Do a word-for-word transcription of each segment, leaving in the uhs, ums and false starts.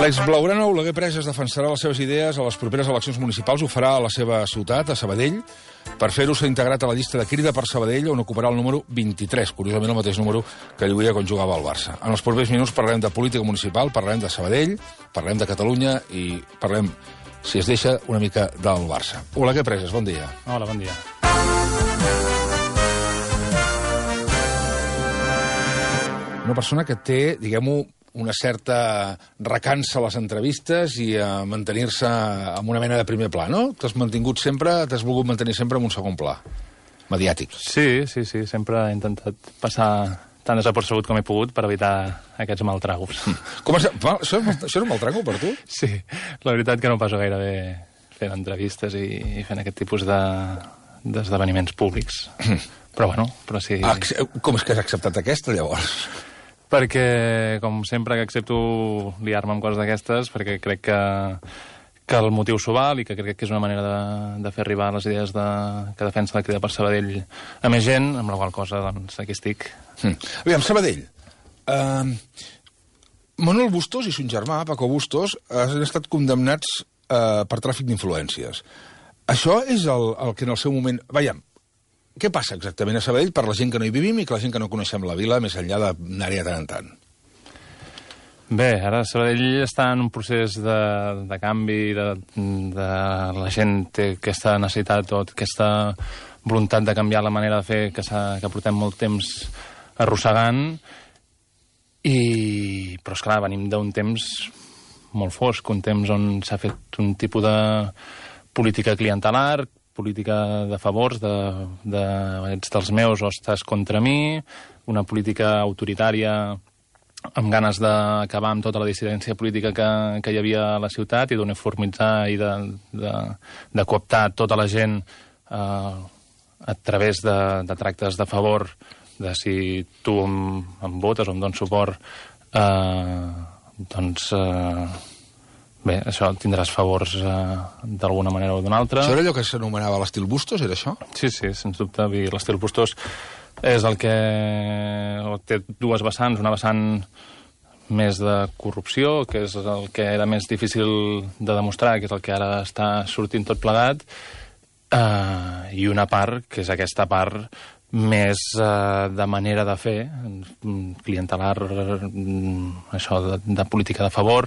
L'exblaugrana Oleguer Presas defensarà les seves idees a les properes eleccions municipals. Ho farà a la seva ciutat, a Sabadell. Per fer-ho s'ha integrat a la llista de Crida per Sabadell, on ocuparà el número vint-i-tres, curiosament el mateix número que lluïa quan jugava al Barça. En els propers minuts parlarem de política municipal, parlarem de Sabadell, parlarem de Catalunya i parlarem, si es deixa, una mica del Barça. Oleguer Presas, bon dia. Hola, bon dia. Una persona que té, diguem-ho, una certa recança a les entrevistes i a mantenir-se amb una mena de primer pla, no? T'has mantingut sempre, t'has volgut mantenir sempre en un segon pla, mediàtic. Sí, sí, sí, sempre he intentat passar tan desapercebut com he pogut per evitar aquests maltragos. Com has... Això, això és un maltrago per tu? Sí, la veritat que no passo gaire bé fent entrevistes i, i fent aquest tipus de d'esdeveniments públics. Però bueno, però sí... Ah, com és que has acceptat aquesta, llavors? Perquè, com sempre, que accepto liar-me amb coses d'aquestes, perquè crec que, que el motiu s'ho val i que crec que és una manera de, de fer arribar les idees de, que defensa la Crida per Sabadell a més gent, amb la qual cosa, doncs, aquí estic. Mm. Aviam, Sabadell. Uh, Manuel Bustos i son germà, Paco Bustos, han estat condemnats uh, per tràfic d'influències. Això és el, el que en el seu moment... Veiem, què passa exactament a Sabadell per la gent que no hi vivim i que la gent que no coneixem la vila més enllà d'anar-hi de tant en tant? Bé, ara Sabadell està en un procés de, de canvi, de, de la gent té aquesta necessitat o aquesta voluntat de canviar la manera de fer que, que portem molt temps arrossegant, i, però esclar, venim d'un temps molt fosc, un temps on s'ha fet un tipus de política clientelar, política de favors, de, de ets dels meus o estàs contra mi, una política autoritària amb ganes d'acabar amb tota la dissidència política que, que hi havia a la ciutat i d'uniformitzar i de, de, de cooptar tota la gent eh, a través de, de tractes de favor, de si tu em, em votes o em dones suport, eh, doncs... Eh, Bé, això tindràs favors eh, d'alguna manera o d'una altra. Això era allò que s'anomenava l'estil Bustos, era això? Sí, sí, sens dubte. L'estil Bustos és el que té dues vessants. Una vessant més de corrupció, que és el que era més difícil de demostrar, que és el que ara està sortint tot plegat, eh, i una part, que és aquesta part més eh, de manera de fer, clientelar, això de, de política de favor,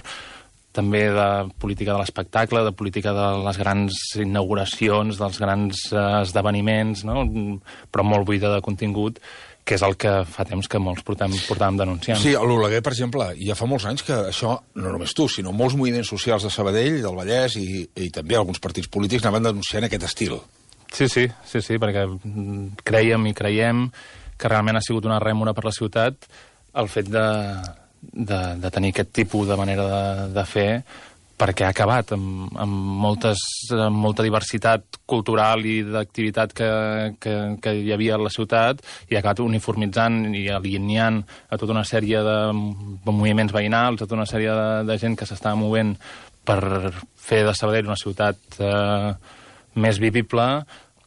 també de política de l'espectacle, de política de les grans inauguracions, dels grans eh, esdeveniments, no? Però molt buida de contingut, que és el que fa temps que molts portem, portàvem denunciant. Sí, a l'Oleguer, per exemple, ja fa molts anys que això, no només tu, sinó molts moviments socials de Sabadell, del Vallès i, i també alguns partits polítics anaven denunciant aquest estil. Sí, sí, sí, sí, perquè creiem i creiem que realment ha sigut una rèmora per la ciutat el fet de... De, de tenir aquest tipus de manera de, de fer, perquè ha acabat amb, amb, moltes, amb molta diversitat cultural i d'activitat que, que, que hi havia a la ciutat, i ha acabat uniformitzant i alineant a tota una sèrie de moviments veïnals, a tota una sèrie de, de gent que s'estava movent per fer de Sabadell una ciutat eh, més vivible,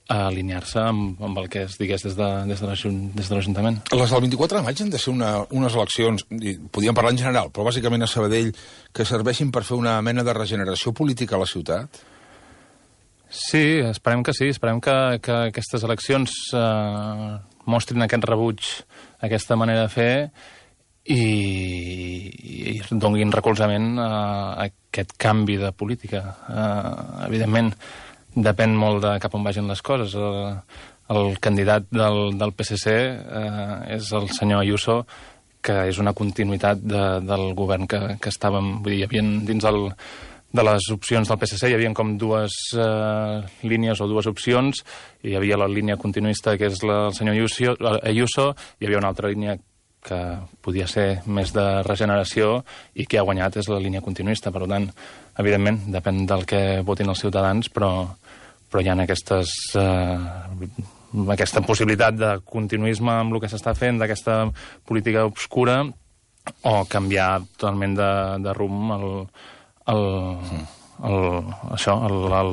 a alinear-se amb, amb el que es digués des de, des de l'Ajuntament. Les del vint-i-quatre de maig han de ser una, unes eleccions, podíem parlar en general, però bàsicament a Sabadell, que serveixin per fer una mena de regeneració política a la ciutat? Sí, esperem que sí. Esperem que, que aquestes eleccions eh, mostrin aquest rebuig, aquesta manera de fer, i, i donin recolzament a, a aquest canvi de política. Eh, evidentment, depèn molt de cap on vagin les coses. El, el candidat del, del P S C eh, és el senyor Ayuso, que és una continuïtat de, del govern que, que estàvem... Vull dir, hi havia dins el, de les opcions del P S C hi havia com dues eh, línies o dues opcions. Hi havia la línia continuista, que és la, el senyor Ayuso, Ayuso, hi havia una altra línia que podia ser més de regeneració i que ha guanyat és la línia continuista. Per tant, evidentment, depèn del que votin els ciutadans, però, però hi ha aquestes, eh, aquesta possibilitat de continuisme amb el que s'està fent, d'aquesta política obscura, o canviar totalment de, de rumb el, el, el, això,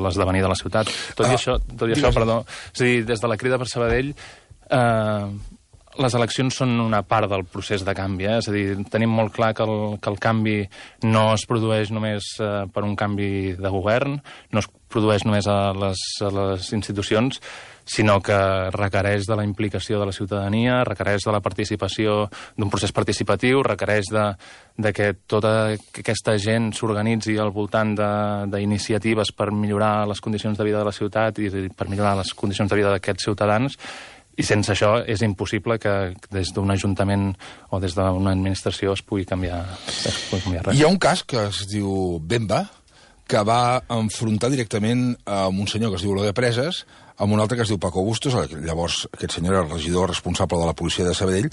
l'esdevenir de la ciutat. Tot i ah, això, tot i això, perdó, és a dir, des de la Crida per Sabadell, eh, les eleccions són una part del procés de canvi, eh? És a dir, tenim molt clar que el, que el canvi no es produeix només eh, per un canvi de govern, no es produeix només a les, a les institucions, sinó que requereix de la implicació de la ciutadania, requereix de la participació, d'un procés participatiu, requereix de, de que tota aquesta gent s'organitzi al voltant d'iniciatives per millorar les condicions de vida de la ciutat i per millorar les condicions de vida d'aquests ciutadans. I sense això és impossible que des d'un ajuntament o des d'una administració es pugui canviar, es pugui canviar res. Hi ha un cas que es diu Bemba, que va enfrontar directament amb un senyor que es diu Eloy de Preses, amb un altre que es diu Paco Bustos, llavors aquest senyor era el regidor responsable de la policia de Sabadell.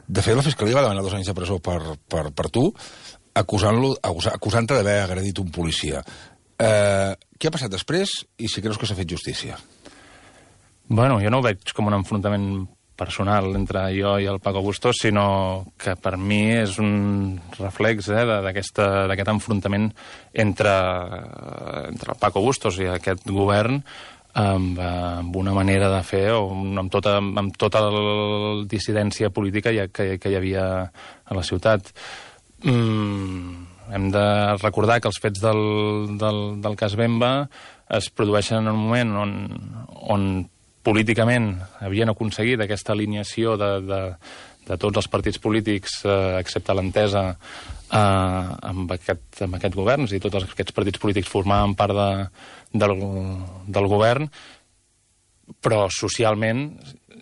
De fet, la Fiscalia va demanar dos anys de presó per, per, per tu, acusant-lo, acusant-te d'haver agredit un policia. Eh, què ha passat després i si creus que s'ha fet justícia? Bueno, jo no ho veig com un enfrontament personal entre jo i el Paco Bustos, sinó que per mi és un reflex eh, d'aquest enfrontament entre, entre el Paco Bustos i aquest govern amb, amb una manera de fer o amb tota, amb tota la dissidència política que, que hi havia a la ciutat. Mm, hem de recordar que els fets del, del, del cas Bemba es produeixen en un moment on, on políticament havien aconseguit aquesta alineació de, de, de tots els partits polítics, eh, excepte l'entesa, eh, amb, aquest, amb aquest govern, és a dir, tots aquests partits polítics formaven part de, del, del govern, però socialment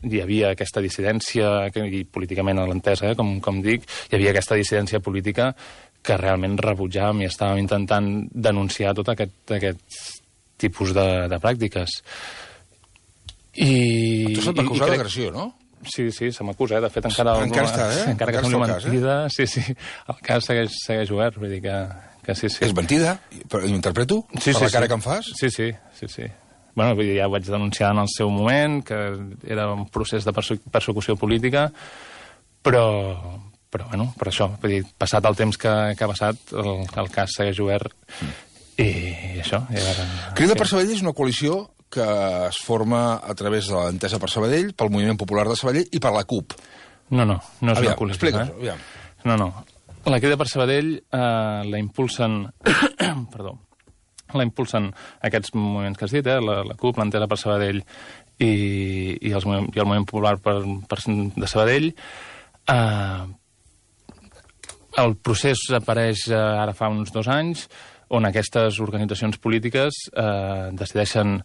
hi havia aquesta dissidència, i políticament a l'entesa, eh, com, com dic, hi havia aquesta dissidència política que realment rebutjàvem i estàvem intentant denunciar tot aquest, aquest tipus de, de pràctiques. I, tu se't va acusar crec... d'agressió, no? Sí, sí, se m'acusa, eh? De fet, encara... Encara està, eh? Encara que sembli mentida, eh? sí, sí, el cas segueix, segueix obert, vull dir que, que sí, sí. És mentida? Però m'interpreto? Sí, per sí, la cara sí. que em fas? Sí, sí, sí, sí. Bueno, vull dir, ja ho vaig denunciar en el seu moment, que era un procés de persecució política, però, però bueno, per això, vull dir, passat el temps que, que ha passat, el, el cas segueix obert, mm. i això... I ara, Crida sí. per Sabadell és una coalició que es forma a través de l'Entesa per Sabadell, pel Moviment Popular de Sabadell i per la CUP. No, no, no és aviam, una coalició. Explica'ns, eh? aviam. No, no. La Crida per Sabadell eh, la impulsen... perdó. La impulsen aquests moviments que has dit, eh? la, la CUP, l'Entesa per Sabadell i, i, els, i el Moviment Popular per, per, de Sabadell. Eh, el procés apareix eh, ara fa uns dos anys, on aquestes organitzacions polítiques eh, decideixen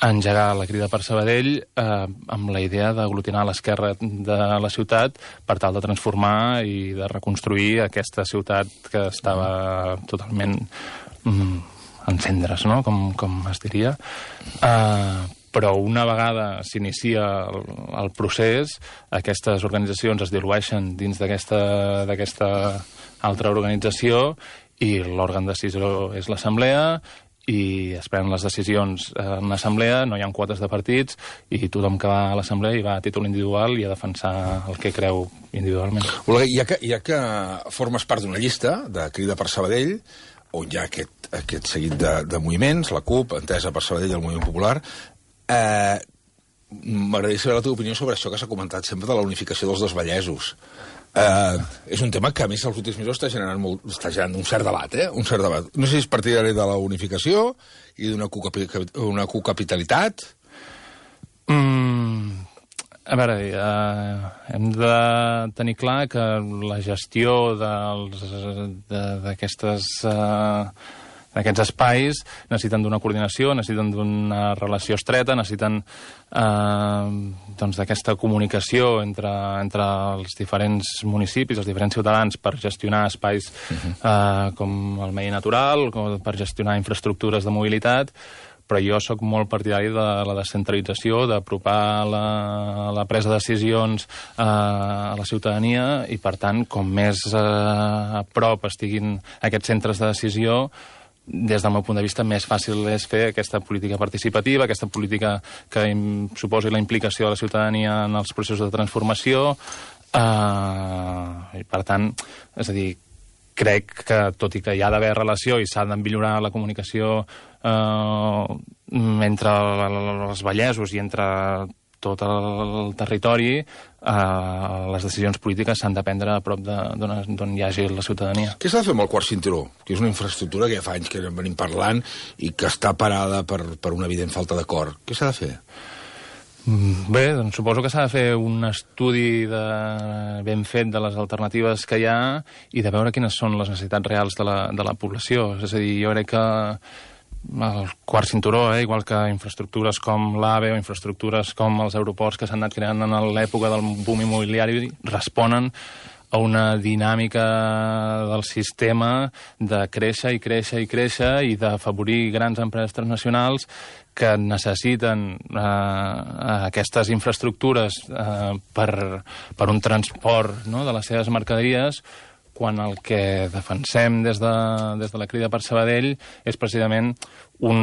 engegar la Crida per Sabadell eh, amb la idea d'aglutinar l'esquerra de la ciutat per tal de transformar i de reconstruir aquesta ciutat que estava totalment mm, en cendres, no? com, com es diria. Eh, però una vegada s'inicia el, el procés, aquestes organitzacions es dilueixen dins d'aquesta d'aquesta altra organització i l'òrgan de decisió és l'assemblea i es prenen les decisions en l'assemblea, no hi ha quotes de partits i tothom que va a l'assemblea hi va a títol individual i a defensar el que creu individualment. Olga, ja que, ja que formes part d'una llista de Crida per Sabadell, on hi ha aquest, aquest seguit de, de moviments, la CUP, Entesa per Sabadell i el Moviment Popular, eh, m'agradaria saber la teva opinió sobre això que s'ha comentat sempre de la unificació dels dos vallesos. Uh, és un tema que, a més, als últims mesos està generant, molt, està generant un cert debat, eh? Un cert debat. No sé si és partidari de la unificació i d'una una cocapitalitat. Mm, a veure, uh, hem de tenir clar que la gestió d'aquestes... Uh, aquests espais necessiten d'una coordinació, necessiten d'una relació estreta, necessiten eh, doncs d'aquesta comunicació entre, entre els diferents municipis, els diferents ciutadans per gestionar espais uh-huh. eh, com el medi natural, com per gestionar infraestructures de mobilitat, però jo sóc molt partidari de la descentralització, d'apropar la, la presa de decisions eh, a la ciutadania i, per tant, com més eh, a prop estiguin aquests centres de decisió, des del meu punt de vista, més fàcil és fer aquesta política participativa, aquesta política que suposi la implicació de la ciutadania en els processos de transformació. Eh, i, per tant, és a dir, crec que, tot i que hi ha d'haver relació i s'ha de millorar la comunicació eh, entre els vallesos i entre tot el territori, eh, les decisions polítiques s'han de prendre a prop d'on hi hagi la ciutadania. Què s'ha de fer amb el quart cinturó? Que és una infraestructura que ja fa anys que en venim parlant i que està parada per, per una evident falta d'acord. Què s'ha de fer? Bé, doncs suposo que s'ha de fer un estudi de, ben fet de les alternatives que hi ha i de veure quines són les necessitats reals de la, de la població. És a dir, jo crec que el quart cinturó, eh, igual que infraestructures com l'AVE o infraestructures com els aeroports que s'han anat creant en l'època del boom immobiliari, responen a una dinàmica del sistema de créixer i créixer i créixer i d'afavorir grans empreses transnacionals que necessiten eh, aquestes infraestructures eh, per, per un transport, no?, de les seves mercaderies, quan el que defensem des de, des de la Crida per Sabadell és precisament un,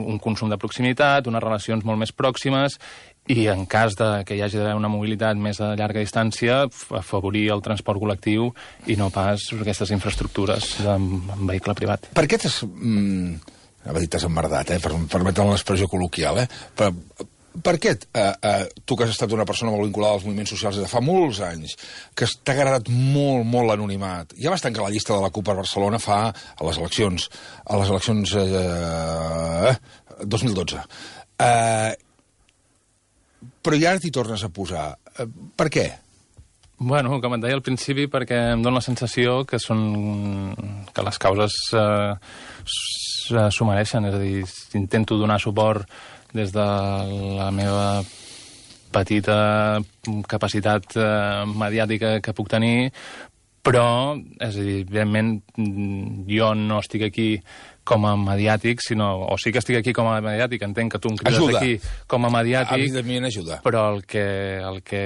un consum de proximitat, unes relacions molt més pròximes i en cas de que hi hagi d'haver una mobilitat més a llarga distància, afavorir el transport col·lectiu i no pas aquestes infraestructures en vehicle privat. Per què t'has... Mm, anava a dir t'has emmerdat, eh, per permetre l'expressió col·loquial, eh? Per, per què eh, eh, tu que has estat una persona molt vinculada als moviments socials des de fa molts anys, que t'ha agradat molt, molt l'anonimat, ja vas tancar la llista de la CUP per Barcelona fa a les eleccions, a les eleccions eh, dos mil dotze. Eh, però ja ara t'hi tornes a posar. Eh, per què? Bueno, com et deia al principi, perquè em dóna la sensació que són que les causes eh, s'ho mereixen. És a dir, intento donar suport des de la meva petita capacitat eh, mediàtica que puc tenir, però, és a dir, evidentment, jo no estic aquí com a mediàtic, sinó... O sí que estic aquí com a mediàtic, entenc que tu em crides ajuda. aquí com a mediàtic... Evidentment ajuda. Però el que, el que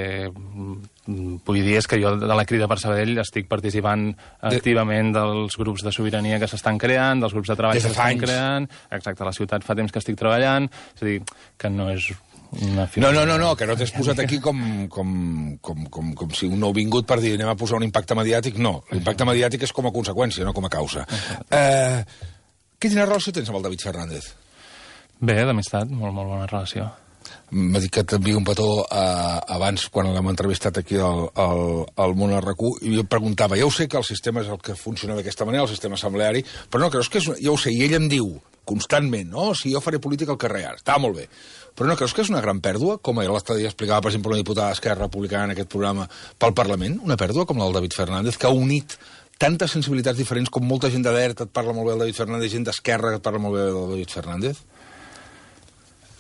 vull dir és que jo de la Crida per Sabadell estic participant de... activament dels grups de sobirania que s'estan creant, dels grups de treball que s'estan creant... Exacte, a la ciutat fa temps que estic treballant, és a dir, que no és... Una no, no, no, no, que no t'has posat aquí com, com, com, com, com si un nou vingut per dir anem a posar un impacte mediàtic. No, l'impacte mediàtic és com a conseqüència, no com a causa. Eh, quina relació tens amb el David Fernández? Bé, d'amistat, molt, molt bona relació. M'ha dit que t'envia un petó eh, abans, quan l'hem entrevistat aquí al, al, al Món R Q, i jo preguntava, ja ho sé que el sistema és el que funciona d'aquesta manera, el sistema assembleari, però no, creus que és... Ja ho sé, i ell em diu constantment, no? Si jo faré política al carrer ara, està molt bé. Però no creus que és una gran pèrdua, com l'altre dia explicava, per exemple, una diputada d'Esquerra Republicana en aquest programa, pel Parlament? Una pèrdua com la del David Fernández, que ha unit tantes sensibilitats diferents, com molta gent de dreta et parla molt bé del David Fernández, gent d'Esquerra que et parla molt bé del David Fernández?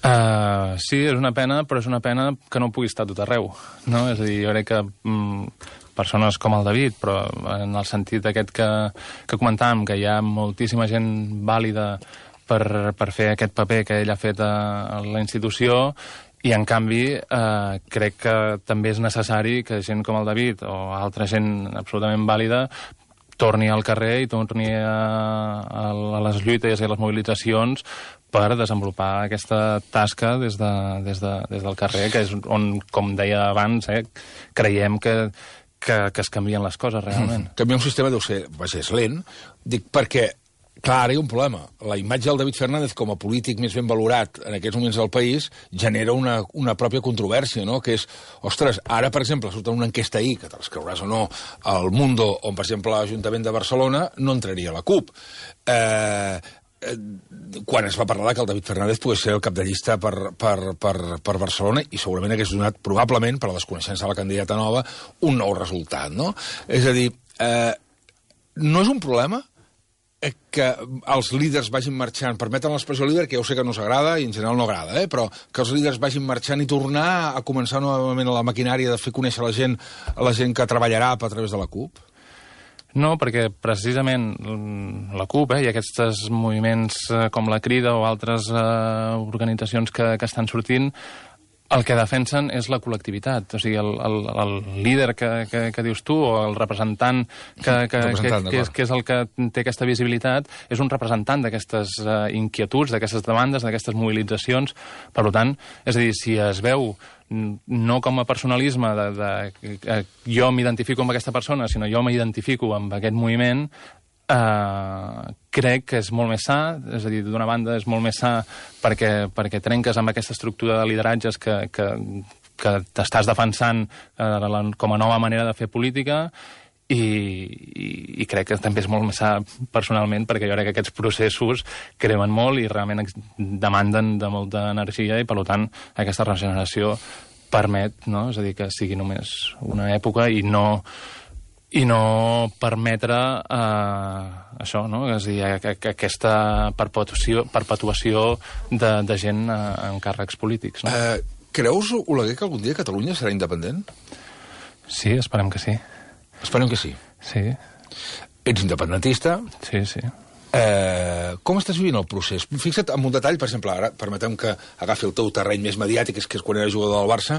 Uh, sí, és una pena, però és una pena que no pugui estar tot arreu, no? És a dir, jo crec que mm, persones com el David, però en el sentit aquest que, que comentàvem, que hi ha moltíssima gent vàlida per, per fer aquest paper que ell ha fet a, a la institució, i en canvi eh, crec que també és necessari que gent com el David o altra gent absolutament vàlida torni al carrer i torni a, a, a les lluites i a les mobilitzacions per desenvolupar aquesta tasca des, de, des, de, des del carrer, que és on, com deia abans, eh, creiem que, que, que es canvien les coses realment. Mm. Canviar un sistema deu ser, vaja, és lent, dic perquè, clar, ara hi ha un problema. La imatge del David Fernández com a polític més ben valorat en aquests moments del país genera una, una pròpia controvèrsia, no? Que és, ostres, ara, per exemple, surt una enquesta ahir, que te les creuràs o no, al Mundo, on, per exemple, l'Ajuntament de Barcelona no entraria a la CUP. Eh, eh, quan es va parlar que el David Fernández pogués ser el cap de llista per, per, per, per Barcelona i segurament hagués donat, probablement, per a la desconeixença de la candidata nova, un nou resultat, no? És a dir, eh, no és un problema que els líders vagin marxant, permeten l'expressió líder, que ja ho sé que no s'agrada i en general no agrada, eh? Però que els líders vagin marxant i tornar a començar novament a la maquinària de fer conèixer la gent, a la gent que treballarà a través de la CUP? No, perquè precisament la CUP eh, i aquests moviments com la Crida o altres eh, organitzacions que, que estan sortint, el que defensen és la col·lectivitat. O sigui, el, el, el líder que, que, que dius tu, o el representant, que, que, representant que, que, és, que és el que té aquesta visibilitat, és un representant d'aquestes uh, inquietuds, d'aquestes demandes, d'aquestes mobilitzacions. Per tant, és a dir, si es veu no com a personalisme de, de, de jo m'identifico amb aquesta persona, sinó jo m'identifico amb aquest moviment, Uh, crec que és molt més sa, és a dir, d'una banda és molt més sa perquè, perquè trenques amb aquesta estructura de lideratges que, que, que t'estàs defensant uh, la, com a nova manera de fer política, i, i, i crec que també és molt més sa personalment, perquè jo crec que aquests processos cremen molt i realment demanden de molta energia, i per tant aquesta regeneració permet, no? És a dir, que sigui només una època i no i no permetre eh, això, no? És a dir, que, que aquesta perpetuació, perpetuació de, de gent eh, en càrrecs polítics. No? Uh, creus, Oleguer, que algun dia Catalunya serà independent? Sí, esperem que sí. Esperem que sí. Sí. Ets independentista. Sí, sí. Eh, com estàs vivint el procés? Fixa't en un detall, per exemple, ara permetem que agafi el teu terreny més mediàtic, és que és quan era jugador del Barça,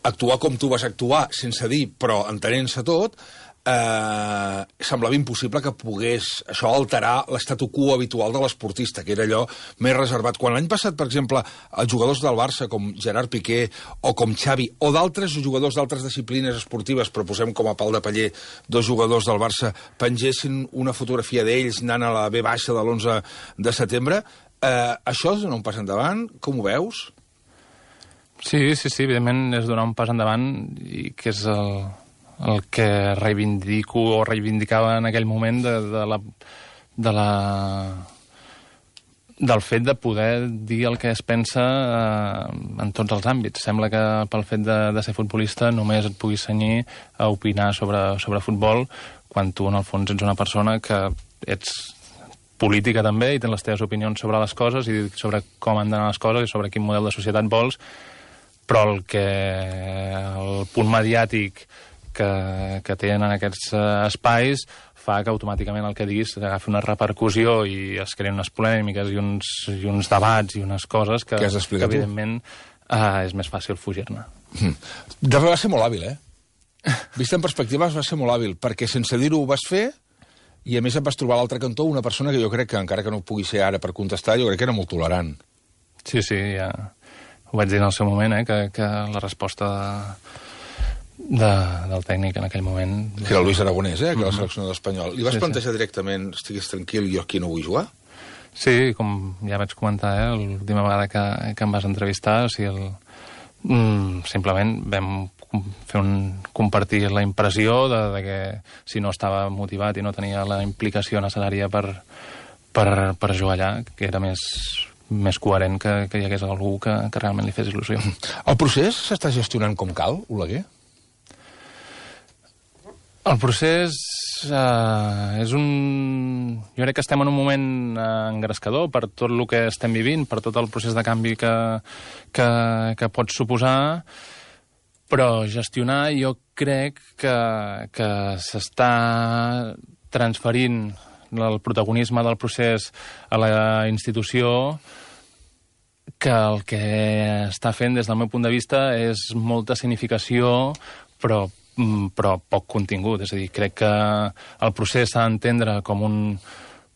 actuar com tu vas actuar, sense dir, però entenent-se tot, eh, semblava impossible que pogués això alterar l'estatu quo habitual de l'esportista, que era allò més reservat. Quan l'any passat, per exemple, els jugadors del Barça, com Gerard Piqué o com Xavi, o d'altres jugadors d'altres disciplines esportives, però posem com a pal de paller dos jugadors del Barça, pengessin una fotografia d'ells anant a la B baixa de l'onze de setembre, eh, això és donar un pas endavant? Com ho veus? Sí, sí, sí, evidentment és donar un pas endavant, i que és el, el que reivindico o reivindicava en aquell moment de, de la, de la, del fet de poder dir el que es pensa eh, en tots els àmbits. Sembla que pel fet de, de ser futbolista només et puguis cenyir a opinar sobre, sobre futbol, quan tu en el fons ets una persona que ets política també i tens les teves opinions sobre les coses i sobre com han d'anar les coses i sobre quin model de societat vols, però el que el punt mediàtic que, que tenen aquests uh, espais fa que automàticament el que diguis agafi una repercussió i es creen unes polèmiques i uns, i uns debats i unes coses que, que, que evidentment uh, és més fàcil fugir-ne. Mm. De fet va ser molt hàbil, eh? Vist en perspectiva va ser molt hàbil, perquè sense dir-ho ho vas fer i a més et vas trobar a l'altre cantó una persona que jo crec que, encara que no pugui ser ara per contestar, jo crec que era molt tolerant. Sí, sí, ja ho vaig dir en el seu moment, eh, que, que la resposta de, de, del tècnic en aquell moment... Que era el Luis Aragonès, eh, que era el Mm-hmm. seleccionador espanyol. Li vas Sí, plantejar sí. directament, estiguis tranquil, jo aquí no vull jugar? Sí, com ja vaig comentar, eh, l'última vegada que, que em vas entrevistar, o sigui, el, mm, simplement vam fer un, compartir la impressió de, de que si no estava motivat i no tenia la implicació necessària per, per, per jugar allà, que era més, més coherent que, que hi hagués algú que, que realment li fes il·lusió. El procés s'està gestionant com cal, Oleguer? El procés eh, és un... Jo crec que estem en un moment eh, engrescador per tot el que estem vivint, per tot el procés de canvi que, que, que pot suposar, però gestionar jo crec que, que s'està transferint el protagonisme del procés a la institució, que el que està fent des del meu punt de vista és molta significació, però però poc contingut. És a dir, crec que el procés s'ha d'entendre com un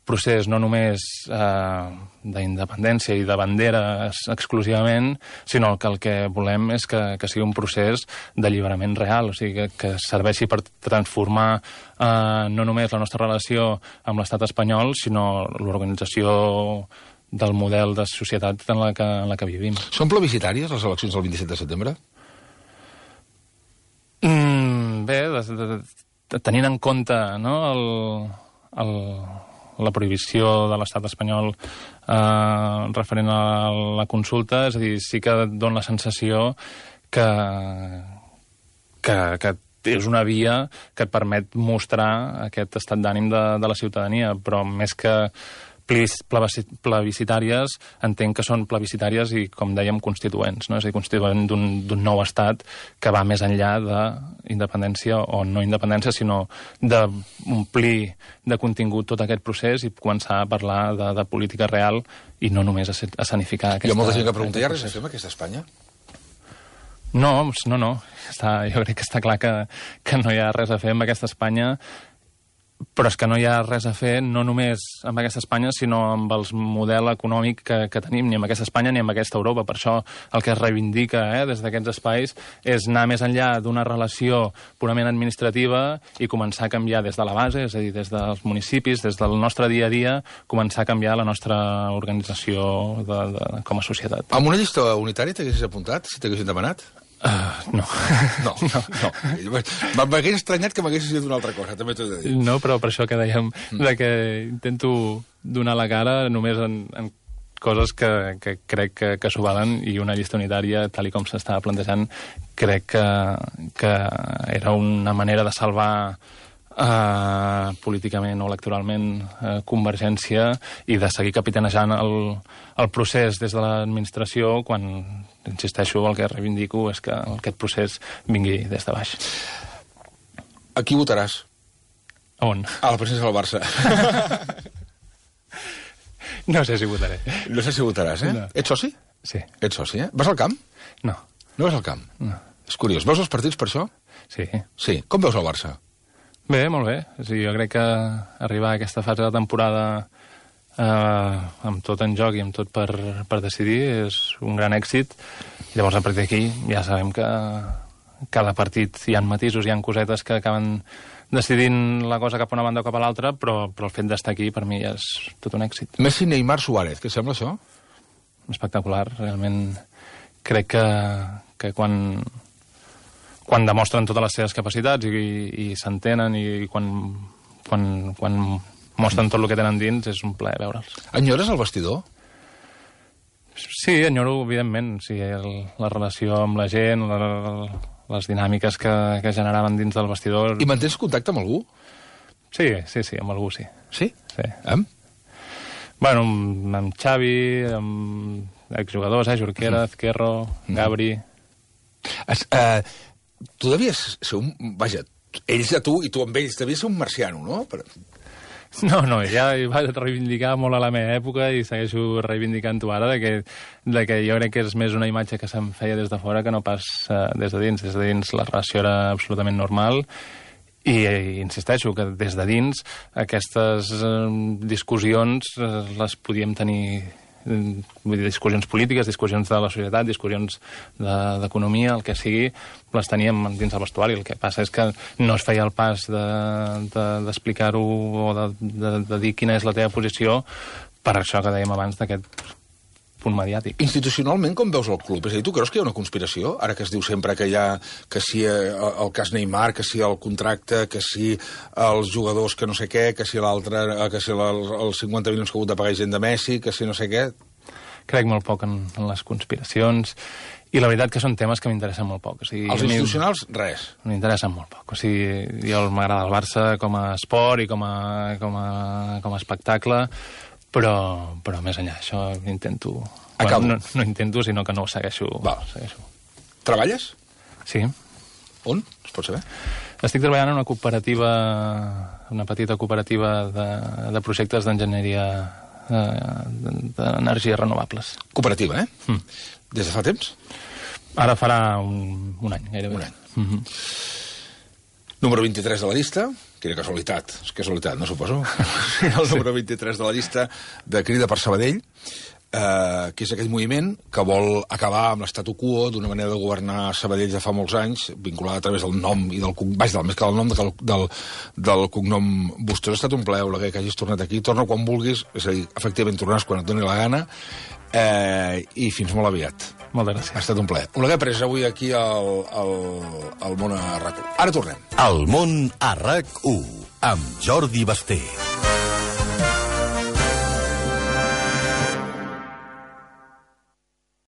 procés no només eh, d'independència i de banderes exclusivament, sinó que el que volem és que, que sigui un procés d'alliberament real, o sigui, que, que serveixi per transformar eh, no només la nostra relació amb l'estat espanyol, sinó l'organització del model de societat en la que, en la que vivim. Són plebiscitàries les eleccions del vint-i-set de setembre? Mm, bé, de, de, de, tenint en compte, no, el, el, la prohibició de l'estat espanyol eh, referent a la consulta, és a dir, sí que et dona la sensació que, que, que és una via que et permet mostrar aquest estat d'ànim de, de la ciutadania, però més que plebiscitàries, entenc que són plebiscitàries i, com dèiem, constituents, no? És a dir, constituent d'un nou estat que va més enllà d'independència o no independència, sinó d'omplir de contingut tot aquest procés i començar a parlar de, de política real i no només a escenificar aquesta... Hi ha molta gent que pregunta, hi ha res a fer amb aquesta Espanya? No, no, no. Està, jo crec que està clar que, que no hi ha res a fer amb aquesta Espanya. però és que no hi ha res a fer, no només amb aquesta Espanya, sinó amb el model econòmic que, que tenim, ni amb aquesta Espanya ni amb aquesta Europa. Per això el que es reivindica eh, des d'aquests espais és anar més enllà d'una relació purament administrativa i començar a canviar des de la base, és a dir, des dels municipis, des del nostre dia a dia, començar a canviar la nostra organització de, de, com a societat. Amb una llista unitària t'haguessis apuntat, si t'haguessin demanat? Uh, no. No, no, no. M'hagués estranyat que m'haguessis dit una altra cosa, també t'ho he de dir. No, però per això que dèiem, de que intento donar la cara només en, en coses que, que crec que, que s'ho valen, i una llista unitària, tal i com s'estava plantejant, crec que, que era una manera de salvar Uh, políticament o electoralment uh, Convergència, i de seguir capitanejant el, el procés des de l'administració, quan, insisteixo, el que reivindico és que aquest procés vingui des de baix. A qui votaràs? A on? A la presidència del Barça. No sé si votaré. No sé si votaràs, eh? No. Ets soci? Sí. Ets soci, eh? Vas al camp? No. No vas al camp? No. És curiós. Veus els partits per això? Sí. Sí. Com veus el Barça? Bé, molt bé. O sigui, jo crec que arribar a aquesta fase de temporada eh, amb tot en joc i amb tot per, per decidir és un gran èxit. I llavors, a partir d'aquí, ja sabem que cada partit hi ha matisos, hi ha cosetes que acaben decidint la cosa cap a una banda o cap a l'altra, però, però el fet d'estar aquí, per mi, ja és tot un èxit. Messi, Neymar, Suárez, què sembla això? Espectacular. Realment crec que, que quan... quan demostren totes les seves capacitats i, i, i s'entenen, i quan, quan, quan mostren tot el que tenen dins, és un plaer veure'ls. Enyores el vestidor? Sí, enyoro, evidentment. Sí, el, la relació amb la gent, la, les dinàmiques que, que generaven dins del vestidor... I mantens contacte amb algú? Sí, sí, sí, amb algú sí. Sí? Sí. Amb? Bueno, amb, amb Xavi, amb exjugadors, eh? Jorquera, Ezquerro, Gabri... Es, eh, tu devies ser un... Vaja, ells a tu i tu amb ells devies ser un marciano, no? Per... No, no, ja hi vaig reivindicar molt a la meva època i segueixo reivindicant-ho ara, de que, de que jo crec que és més una imatge que se'm feia des de fora que no pas uh, des de dins. Des de dins la relació era absolutament normal i, i insisteixo que des de dins aquestes uh, discussions uh, les podíem tenir... Vull dir, discussions polítiques, discussions de la societat, discussions d'economia, de, el que sigui, les teníem dins el vestuari. El que passa és que no es feia el pas d'explicar-ho de, o de, de, de dir quina és la teva posició, per això que dèiem abans d'aquest punt mediàtic. Institucionalment, com veus el club? És a dir, tu creus que hi ha una conspiració? Ara que es diu sempre que hi ha, que si el cas Neymar, que si el contracte, que si els jugadors que no sé què, que si l'altre, que si els cinquanta milions que ha hagut de pagar gent de Messi, que si no sé què... Crec molt poc en, en les conspiracions, i la veritat que són temes que m'interessen molt poc. O sigui, els institucionals, res. M'interessen molt poc. O sigui, jo m'agrada el Barça com a esport i com a, com a, com a espectacle, però, però més enllà això intento... Bueno, no, no intento, sinó que no ho segueixo. Val. segueixo. Treballes? Sí. On? Es pot saber? Estic treballant en una cooperativa, una petita cooperativa de, de projectes d'enginyeria d'energies renovables. Cooperativa, eh? Mm. Des de fa temps? Ara farà un, un any, gairebé. Un any. Mm-hmm. Número vint-i-tres de la llista, quina casualitat, és casualitat, no suposo, el número vint-i-tres de la llista de Crida per Sabadell, eh, que és aquell moviment que vol acabar amb l'estatu quo d'una manera de governar Sabadell de fa molts anys, vinculada a través del nom i del cognom, vaja, més que del nom, del, del, del cognom Bustos. Ha estat un plaer, Oleguer, que hagis tornat aquí. Torna quan vulguis, és a dir, efectivament tornaràs quan et doni la gana, eh, i fins molt aviat. Moltes gràcies. Ha estat un plaer. Oleguer Pérez, avui aquí al, al, al Món a RAC u. Ara tornem. El Món a RAC u, amb Jordi Basté.